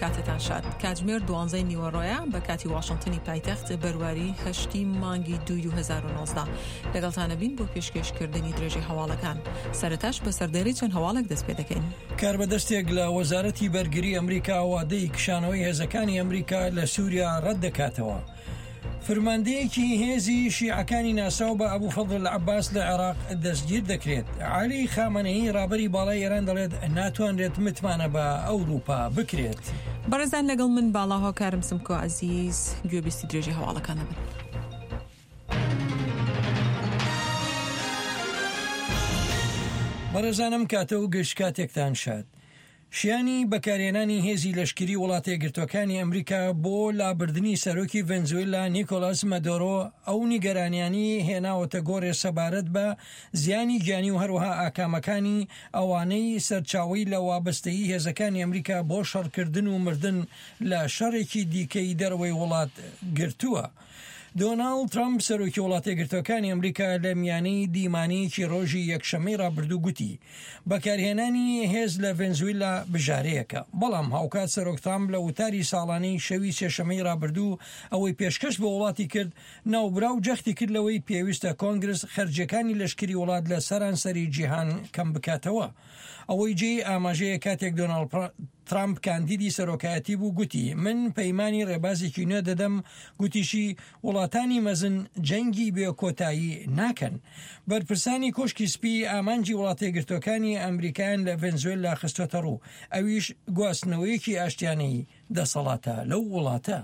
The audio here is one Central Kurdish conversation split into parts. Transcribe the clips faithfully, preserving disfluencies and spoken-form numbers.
کاتتان شاد. کاتژمێر دوانزەی نیوەڕۆیە بە کاتی واشنگتنی پایتەخت، بەرواری هەشتی مانگی دووی دوو هەزار و نۆزدە. لەگەڵتانە بین بۆ پێشکێشکردنی درێژەی هەواڵەکان. سەرەتاش بە سەردێڕی چەند هەواڵێک دەست پێ دەکەین. کاربەدەستێک لە وەزارەتی بەرگری ئەمریکا وادەی کشانەوەی هێزەکانی ئەمریکا لە سووریا ڕەت دەکاتەوە. فرماندەیەکی هێزی شیعەکانی ناسراو بە ئەبوو فەضل عەباس لە عێراق دەستگیر دەکرێت. عەلی خامنەیی ڕابەری باڵای ئێران دەڵێت ناتوانرێت متمانە بە ئەوروپا بکرێت. بەڕێزان لەگەڵ من باڵا هۆکارم سمکۆ عەزیز، گوێبیستی درێژی هەواڵەکانە بن. بەڕێزانم کاتە و گشت کاتێکتان شاد. شیانی بەکارهێنانی هێزی لەشکری وڵاتە یەکگرتووەکانی ئەمریکا بۆ لابردنی سەرۆکی ڤەنزوێلا نیکۆلاس مادورۆ ئەو نیگەرانیانی هێناوەتە گۆڕێ سەبارەت بە زیانی گیانی و هەروەها ئاکامەکانی ئەوانەی سەرچاوەی لە وابەستەیی هێزەکانی ئەمریکا بۆ شەڕکردن و مردن لە شەڕێکی دیکەی دەرەوەی وڵات گرتووە. دۆناڵد ترامپ سەرۆکی وڵاتە یەکگرتووەکانی ئەمریکا لە میانەی دیمانەیەکی ڕۆژی یەکشەممەی ڕابردوو گوتی بەکارهێنانی هێز لە ڤەنزوێلا بژارەیەکە، بەڵام هاوکات سەرۆک ترامپ لە وتاری ساڵانەی شەوی سێشەممەی ڕابردوو ئەوەی پێشکەش بە وڵاتی کرد ناوبراو جەختی کرد لەوەی پێویستە کۆنگرس خەرجیەکانی لەشکری وڵات لە سەرانسەری جیهان کەم بکاتەوە. ئەوەی جێی ئاماژەیە کاتێک دۆناڵد ترامپ کاندیدی سەرۆکایەتی بوو گوتی من پەیمانی ڕێبازێکی نوێ دەدەم، گوتیشی وڵاتانی مەزن جەنگی بێ کۆتایی ناکەن. بەرپرسانی کۆشکی سپی ئامانجی وڵاتە یەکگرتووەکانی ئەمریکایان لە ڤەنزوێلا خستۆتە ڕوو، ئەویش گواستنەوەیەکی ئاشتیانەی دەسەڵاتە لەو وڵاتە.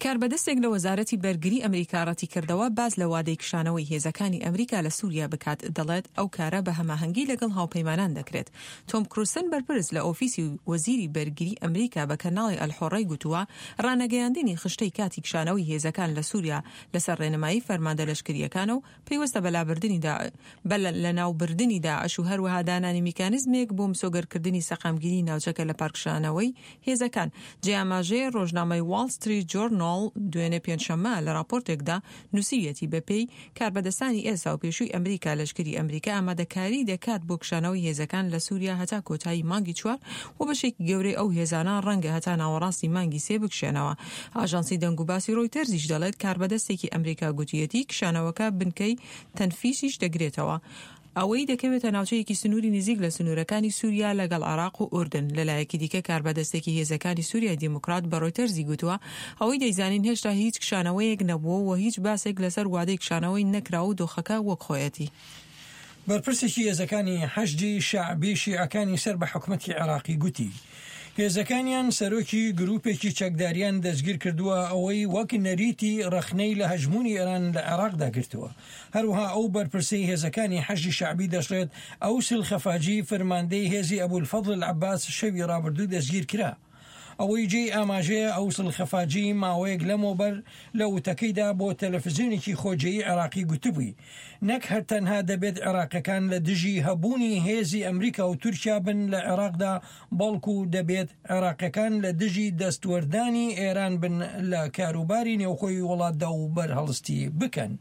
کاربەدەستێک لە وەزارەتی بەرگری ئەمریکا ڕەتی کردەوە باز لە وادەی کشانەوەی هێزەکانی ئەمریکا لە سووریا بکات، دەڵێت ئەو کارە بە هەماهەنگی لەگەڵ هاوپەیمانان دەکرێت. تۆم کروسن بەرپرس لە ئۆفیسی وەزیری بەرگری ئەمریکا بە کەناڵی ئەلحۆڕەی گوتووە ڕانەگەیاندنی خشتەی کاتی کشانەوەی هێزەکان لە سووریا لەسەر ڕێنمایی فەرماندە لەشکریەکانە و پەیوەستە بە لابردنی بە لەناوبردنی داعش و هەروەها دانانی میکانیزمێک بۆ مسۆگەرکردنی سەقامگیری ناوچەکە لە پارکشانەوەی هێزەکان. جێ ئاماژەیە ڕۆژنامەی واڵ ستریت جۆرناڵ دوێنێ پێنجشەممە لە راپۆرتێکدا نووسیویەتی بەپێی کاربەدەستانی ئێستا و پێشووی ئەمریکا لەشکری ئەمریکا ئامادەکاری دەکات بۆ کشانەوەی هێزەکان لە سووریا هەتا کۆتایی مانگی چوار و بەشێکی گەورەی ئەو هێزانە ڕەنگە هەتا ناوەڕاستی مانگی سێ بکشێنەوە. ئاژانسی دەنگوباسی ڕۆیتەرزیش دەڵێت کاربەدەستێکی ئەمریکا گوتیەتی کشانەوەکە بنکەی تەنفیسیش دەگرێتەوە، ئەوەی دەکەوێتە ناوچەیەکی سنووری نزیک لە سنوورەکانی سووریا لەگەڵ عێراق و ئوردن. لەلایەکی دیکە کاربەدەستێکی هێزەکانی سووریای دیموکرات بە ڕۆیتەرزی گوتووە ئەوەی دەیزانین هێشتا هیچ کشانەوەیەک نەبووە و هیچ باسێک لەسەر وادەی کشانەوەی نەکراوە و دۆخەکە وەک خۆیەتی. بەرپرسێکی هێزەکانی حەشدی شەعبی شیعەکانی سەر بە حکومەتی عێراقی گوتی هێزەکانیان سەرۆکی گروپێکی چەکداریان دەستگیر کردووە ئەوەی وەک نەریتی ڕەخنەی لە هەژموونی ئێران لە عێراقدا گرتووە. هەروەها ئەو بەرپرسەی هێزەکانی حەشدی شەعبی دەشڵێت ئەو سلخەفاجی فەرماندەی هێزی ئەبولفەضل عەباس شەوی ڕابردوو دەستگیر کرا. ئەوەی جێی ئاماژەیە ئەو سلخەفاجی ماوەیەک لەمەوبەر لە وتەکەیدا بۆ تەلەفزیۆنێکی خۆجێیی عێراقی گوتبووی نەک هەر تەنها دەبێت عێراقیەکان لە دژی هەبوونی هێزی ئەمریکا و تورکیا بن لە عێراقدا، بەڵکو دەبێت عێراقیەکان لە دژی دەستوەردانی ئێران بن لە کاروباری نێوخۆی وڵاتدا و بەرهەڵستی بکەن.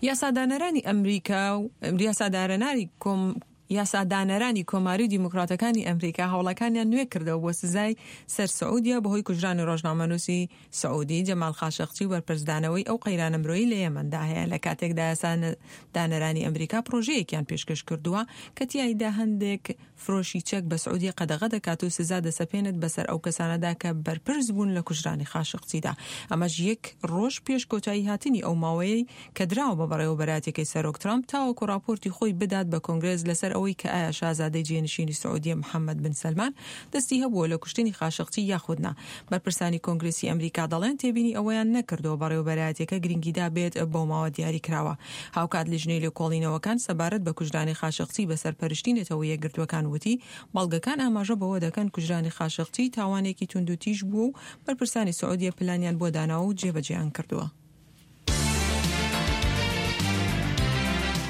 یاسادانەرانی ئەمریکا و یاسادانەرانی کۆم یاسادانەرانی کۆماری و دیموکراتەکانی ئەمریکا هەوڵەکانیان نوێ کردەوە بۆ سزای سەر سعودیا بەهۆی کوژرانی ڕۆژنامەنووسی سعودی جەمال خاشقچی و بەرپرسدانەوەی ئەو قەیرانە مرۆیی لە یەمەندا هەیە. لە کاتێکدا یاسادانەرانی ئەمریکا پرۆژەیەکیان پێشکەش کردووە کە تیایدا هەندێک فرۆشی چەک بە سعودیە قەدەغە دەکات و سزا دەسەپێنێت بەسەر ئەو کەسانەدا کە بەرپرس بوون لە کوژرانی خاشقچیدا. ئەمەش یەک ڕۆژ پێش کۆتایی هاتنی ئەو ماوەیەی کە دراوە بە بەڕێوەبەرایەتیەکەی سەرۆک ترامپ تاوەکو راپۆرتی خۆی بدات بە کۆنگرێس لەسەر ئەوەی کە ئایا شازادەی جێنشینی سعودیە محەممەد بن سەلمان دەستی هەبووە لە کوشتنی خاشقچی یاخود نا. بەرپرسانی کۆنگرێسی ئەمریکا دەڵێن تێبینی ئەوەیان نەکردەوە بەڕێوەبەرایەتیەکە گرنگیدا بێت بەو ماوە دیاری کراوە. هاوکات لیژنەی لێکۆڵینەوەکان سەبارەت بە کوژرانی خاشقچی بە سەرپەرشتی نەتەوە یەکگرتووەکان وتی بەڵگەکان ئاماژە بەوە دەکەن کوژرانی خاشقچی تاوانێکی توندوتیژ بووە و بەرپرسانی سعودیە پلانیان بۆ داناوە و جێبەجێیان کردووە.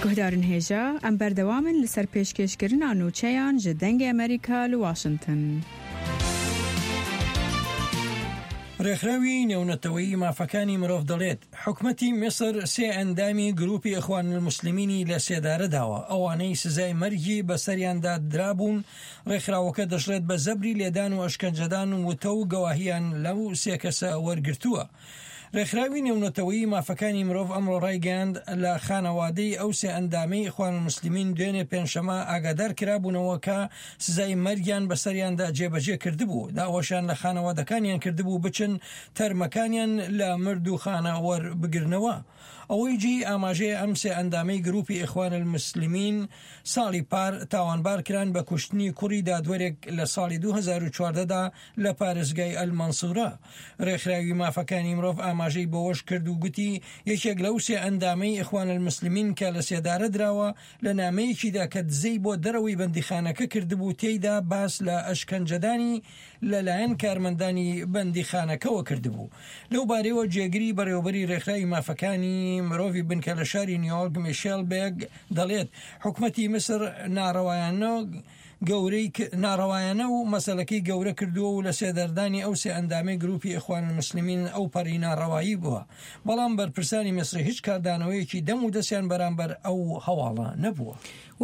گوهدارن هێژا ئەم بەردەوامن لەسەر پێشکێشکردنا نوچەیان ji دەنگê ئەمریکا لە واشنگتن. ڕێکخراوی نێونەتەوەیی مافەکانی مرۆڤ دەڵێت حکومەتی میسر سێ ئەندامی گروپی ئیخوان الموسلمینی لە سێدارە داوە، ئەوانەی سزای مەرگی بەسەریاندا درابوون. ڕێکخراوەکە دەشڵێت بە زەبری لێدان و ئەشکەنجەدان وتە و گەواهیان لەو سێ کەسە وەرگرتووە. ڕێکخراوی نێونەتەوەیی مافەکانی مرۆڤ ئەمڕۆ ڕایگەیاند لە خانەوادەی ئەو سێ ئەندامەی ئیخوان الموسلمین دوێنێ پێنجشەممە ئاگادار کرابوونەوە کە سزای مەرگیان بەسەریاندا جێبەجێ کردبوو. داواشیان لە خانەوادەکانیان کردبوو بچن تەرمەکانیان لە مردووخانە وەربگرنەوە. ئەوەی جێی ئاماژەیە ئەم سێ ئەندامەی گروپی ئیخوان الموسلمین ساڵی پار تاوانبار کران بە کوشتنی کوڕی دادوەرێک لە ساڵی دوو هەزار و چواردە دا لە پارێزگای ئەلمەنسورە. ڕێکخراوی مافەکانی مرۆڤ ئاماژەی بەوەش کرد و گوتی یەکێک لەو سێ ئەندامەی ئیخوان الموسلمین کە لە سێدارە دراوە لە نامەیەکیدا کە دزەی بۆ دەرەوەی بەندیخانەکە کردبوو تێیدا باس لە ئەشکەنجەدانی لەلایەن کارمەندانی بەندیخانەکەوە کردبوو. لەو بارەیەوە جێگری بەڕێوەبەری ڕێکخراوی مافەکانی مرۆڤی بنکە لە شاری نیویۆرک میشێل بێگ دەڵێت حکومەتی میسر ناڕەوایانە گەورەی ناڕەوایانە و مەسەلەکەی گەورە کردووە و لە سێداردانی ئەو سێ ئەندامەی گروپی ئیخوان الموسلمین ئەو پەڕی ناڕەوایی بووە، بەڵام بەرپرسانی میسری هیچ کاردانەوەیەکی دەم و دەستیان بەرامبەر ئەو هەواڵە نەبووە.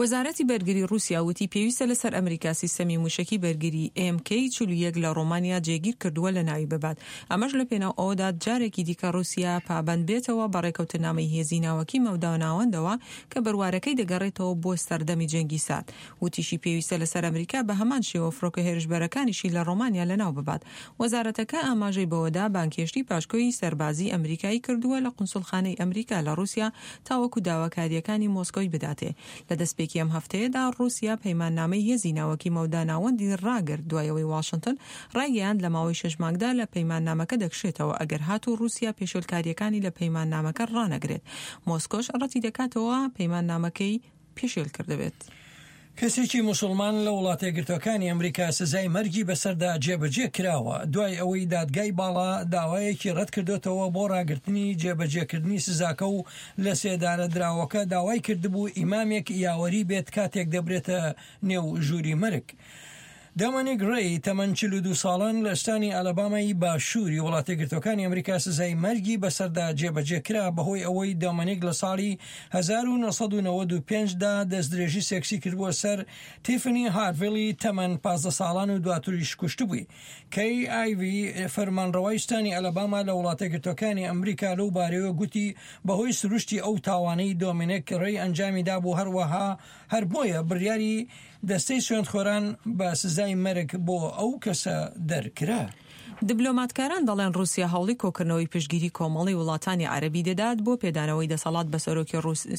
وەزارەتی بەرگری ڕووسیا وتی پێویستە لەسەر ئەمریکا سیستەمی موشەکی بەرگری ئێم کەی چل و یەک لە ڕۆمانیا جێگیر کردووە لە ناوی ببات، ئەمەش لە پێناو ئەوەدا جارێکی دیکە ڕووسیا پابەند بێتەوە بە ڕێکەوتنامەی هێزی ناوەکی مەودا ناوەندەوە کە بەروارەکەی دەگەڕێتەوە بۆ سەردەمی جەنگی سارد. وتیشی پێویستە لەسەر ئەمریکا بە هەمان شێوە فڕۆکە هێرشبەرەکانیشی لە ڕۆمانیا لەناو ببات. وەزارەتەکە ئاماژەی بەوەدا بانکهێشتی پاشکۆی سەربازی ئەمریکایی کردووە لە قونسڵخانەی ئەمریکا لە ڕووسیا تاوەکو داواکاریەکانی مۆسکۆی بداتێ. لە دەستپێکی ئەم هەفتەیەدا ڕووسیا پەیماننامەی هێزی ناوەکی مەودا ناوەندی ڕاگرت دوای ئەوەی واشنتن ڕایگەیاند لە ماوەی شەش مانگدا لە پەیماننامەکە دەکشێتەوە ئەگەر هاتوو ڕووسیا پێشێلکاریەکانی لە پەیماننامەکە ڕانەگرێت. مۆسکۆش ڕەتی دەکاتەوە پەیماننامەکەی پێشێل کردبێت. کەسێکی موسڵمان لە وڵاتە یەکگرتووەکانی ئەمریکا سزای مەرگی بەسەردا جێبەجێ کراوە دوای ئەوەی دادگای باڵا داوایەکی ڕەت کردوتەوە بۆ ڕاگرتنی جێبەجێکردنی سزاکە و لە سێدارە دراوەکە داوای کردبوو ئیمامێک یاوەری بێت کاتێک دەبرێتە نێو ژووری مەرگ. دۆمینیک ڕێی تەمەن چل و دوو ساڵان لە ستانی ئەلابامای باشووری وڵاتە یەکگرتووەکانی ئەمریکا سزای مەرگی بەسەردا جێبەجێ کرا بەهۆی ئەوەی دۆمینیک لە ساڵی هەزار و نۆ سەد و نەوەد و پێنج دا دەستدرێژی سێکسی کردبووە سەر تیفنی هارڤیلی تەمەن پازدە ساڵان و دواتریش کوشتبووی. کەی ئایڤی فەرمانڕەوای ستانی ئەلاباما لە وڵاتە یەکگرتووەکانی ئەمریکا لەو بارەیەوە گوتی بەهۆی سروشتی ئەو تاوانەی دۆمینیک ڕێی ئەنجامی دابوو هەروەها هەر بۆیە بڕیاری دەستەی سوێندخۆران بە سزای مەرگ بۆ ئەو کەسە دەرکرا. دیبلۆماتکاران دەڵێن ڕووسیا هەوڵی کۆکردنەوەی پشتگیری کۆمەڵی وڵاتانی عەرەبی دەدات بۆ پێدانەوەی دەسەڵات بە سەرۆکی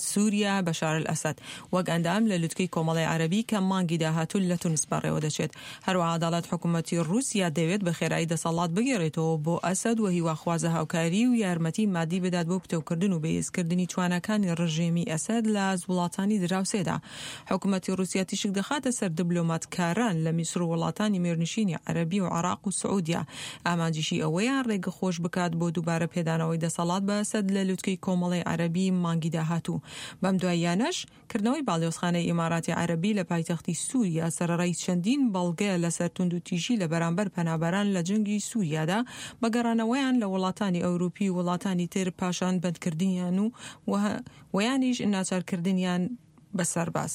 سووریا بەشار ئەلئەسەد وەک ئەندام لە لوتکەی کۆمەڵی عەرەبی کە مانگی داهاتوو لە تونس بەڕێوە دەچێت. هەروەها دەڵێت حکوومەتی ڕووسیا دەوێت بە خێرایی دەسەڵات بگێڕێتەوە بۆ ئەسەد و هیواخوازە هاوکاری و یارمەتی مادی بدات بۆ پتەوکردن و بەهێزکردنی تواناکانی ڕژێمی ئەسەد لە وڵاتانی دراوسێدا. حکوومەتی ڕووسیا تیشک دەخاتە سەر دیبلۆماتکاران لە میسر و وڵاتانی میرنشینی عەرەبی و عێراق و سعودیا. ئامانجیشی ئەوەیە ڕێگە خۆش بکات بۆ دووبارە پێدانەوەی دەسەڵات بە ئەسەد لە لوتکەی کۆمەڵی عەرەبی مانگی داهاتوو. بەم دواییانەش کردنەوەی باڵیۆزخانەی ئیماراتی عەرەبی لە پایتەختی سووریا سەرەڕای چەندین بەڵگە لەسەر توندوتیژی لە بەرامبەر پەنابەران لە جەنگی سووریادا بەگەڕانەوەیان لە وڵاتانی ئەوروپی و وڵاتانی تر پاشان بەندکردنیان و ویانیش ناچارکردنیان بە سەرباز.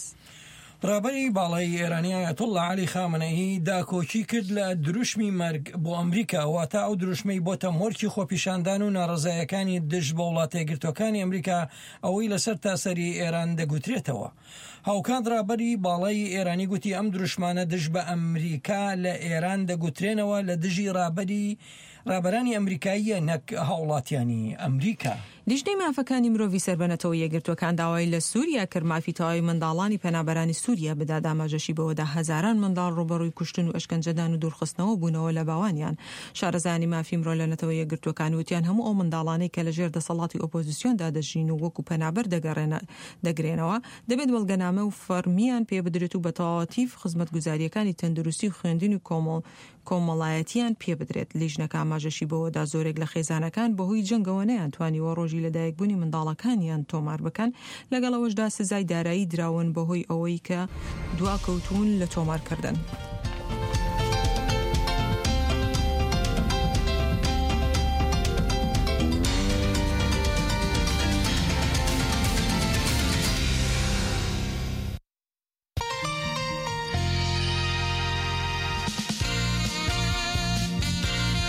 ڕابەری باڵای ئێرانی ئایەتوڵڵا عەلی خامنەیی داکۆکی کرد لە دروشمی مەرگ بۆ ئەمریکا، واتە ئەو دروشمەی بۆتە مۆرکی خۆپیشاندان و ناڕەزایەکانی دژ بە وڵاتە یەکگرتووەکانی ئەمریکا ئەوەی لەسەر تاسەری ئێران دەگوترێتەوە. هاوکات ڕابەری باڵای ئێرانی گوتی ئەم دروشمانە دژ بە ئەمریکا لە ئێران دەگوترێنەوە لە دژی ڕابەری ڕابەرانی ئەمریکاییە نەک هاوڵاتیانی ئەمریکا. لیژنەی مافەکانی مرۆڤی سەر بە نەتەوە یەکگرتووەکان داوای لە سووریا کرد مافی تەواوی منداڵانی پەنابەرانی سووریا بدات. ئاماژەشی بەوەدا هەزاران منداڵ ڕووبەڕووی کوشتن و ئەشکەنجەدان و دوورخستنەوە بوونەوە لە باوانیان. شارەزایانی مافی مرۆ لە نەتەوە یەکگرتووەکان وتیان هەموو ئەو منداڵانەی کە لەژێر دەسەڵاتی ئۆپۆزیسیۆندا دەژین و وەکو پەنابەر دەگرێنەوە دەبێت بەڵگەنامە و فەرمیان پێ بدرێت و بە تەواوەتی خزمەتگوزاریەکانی تەندروستی و خوێندن و کۆمەڵ کۆمەڵایەتیان پێ بدرێت. لیژنەکە ئاماژەشی بەوەدا زۆرێک لە خێزانەکان بەهۆی جەنگەوە نەیانتوانیوە ڕۆژی لەدایکبوونی منداڵەکانیان تۆمار بکەن، لەگەڵ ئەوەشدا سزای دارایی دراون بەهۆی ئەوەی کە دواکەوتون لە تۆمارکردن.